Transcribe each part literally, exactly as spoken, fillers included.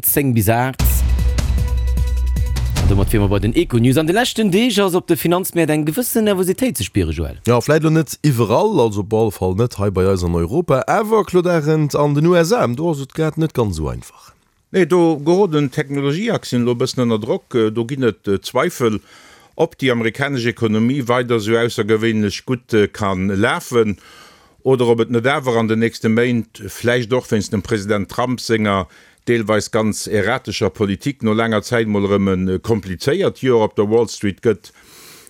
zéng bis aacht. An domat wiere mer bei den Econews. An de leschten Deeg ass op de Finanzmäert eng gewëssen Nervositéit ze spieren, Joël. Jo, vläit elo net iwwerall, also op alle Fall net hei bei eis an Europa, awer Claude Arend, an den U S A, do ass et grad net ganz esou einfach. Nee, do geroden d'Technologieaktien elo e bëssen ënner Drock. Do ginn et Zweifel, ob déi amerikanesch Ekonomie weider esou aussergewéinlech gutt ka lafen oder ob et net awer an den nächste Méint, vläicht och wéinst dem President Trump senger deelweis ganz erratescher Politik, no laanger Zäit mol erëm e komplizéiert Joer op der Wall Street gëtt.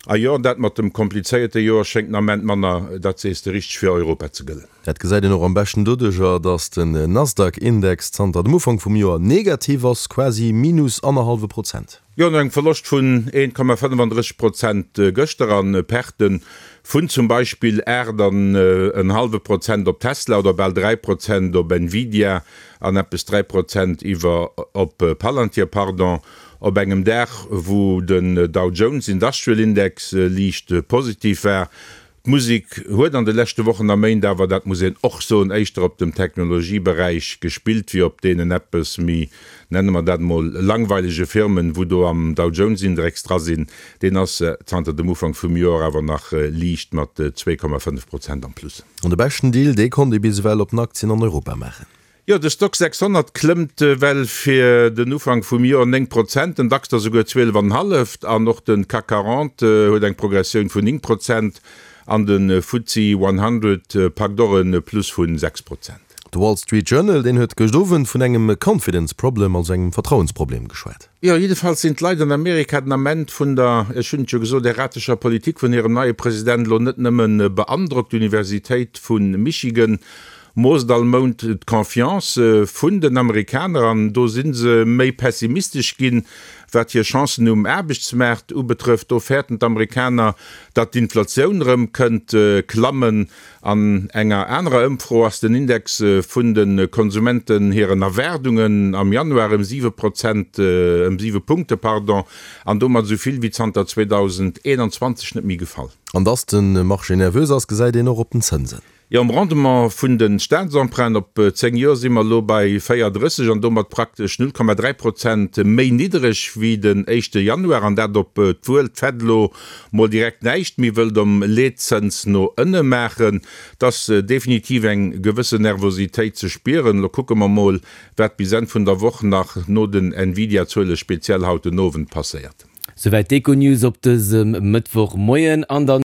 A jo, dat mat dem komplizéierte Joer schéngt den Ament manner, dat sees de richteg, fir Europa ze gëllen. Dat gesäit een och am beschten doduercher, datt den Nasdaq-Index zanter dem Ufank vum Joer negativ ass, quasi minus annerhallwe Prozent. Jo, no engem Verloscht vun een Komma fënnefandrësseg Prozent gëschter an Perte vun zum Beispill aacht an en hallwe Prozent op Tesla oder bal dräi Prozent op Nvidia an eppes dräi Prozent iwwer op Palantir, pardon, op engem Dag wou den Dow Jones Industrial Index liicht positiv war. D'Musek huet an de leschte Wochen a Méint awer, dat muss een och soen, éischter op dem Technologieberäich gespillt wéi op deenen eppes méi, nenne mer dat emol, langweilege Firmen, wou do am Dow Jones Indrex dra sinn. Deen ass zanter dem Ufank vum Joer awer nach liicht mat zwee Komma fënnef Prozent am Plus. An de beschten Deal, dee konnt ee bis ewell op den Aktien an Europa maachen. Jo, de Stoxx sechshonnert klëmmt well fir den Ufank vum Joer néng Prozent, den DAX der souguer zwielef an en halleft an och de C A C quarante huet eng Progressioun vun néng Prozent an de F T S E honnert packt och e Plus vu sechs Prozent. De Wall Street Journal, deen huet gëscht Owend vun engem confidence problem, also engem Vertrauensproblem geschwat. Jo, jiddefalls sinn d'Leit an Amerika den Ament vun der, ech hunn et jo gesot, erratescher Politik vun hirem neie President elo net nëmme beandrockt. D'Universitéit vu Michigan moosst all Mount d'Confiance vun den Amerikaner an do si se méi pessimistesch ginn, wat hir Chancen um Aarbechtsmaart ubetrëfft. Do fäerten d'Amerikaner, datt d'Inflatioun erëm kënnt klammen. An enger anerer Ëmfro ass den Index vun de Konsumenten hiren Erwaardungen am Januar ëm siwe Prozent, ëm siwe Punkte, pardon, an domat esou vill wéi zanter zweedausendeenanzwanzeg net méi gefall. An datt de Marché nervös ass, gesäit een och op den Zënsen. Jo, um Rendement vun de Staatsemprunten op zéng Joer si mer elo bei véierunddrësseg an domat praktesch null Komma dräi Prozent méi niddereg wéi den éischte Januar. An dat obwuel d'Fed elo mol direkt näischt méi wëllt um Leetzëns no ënne maachen. Et ass definitiv eng gewëssen Nervositéit ze spieren. Elo kucke mer mol, wat bis Enn vun der Woch nach no den Nvidia-Zuele speziell haut den Owend passéiert. Souwäit d'Econews op dësem Mëttwochmoien. An dann.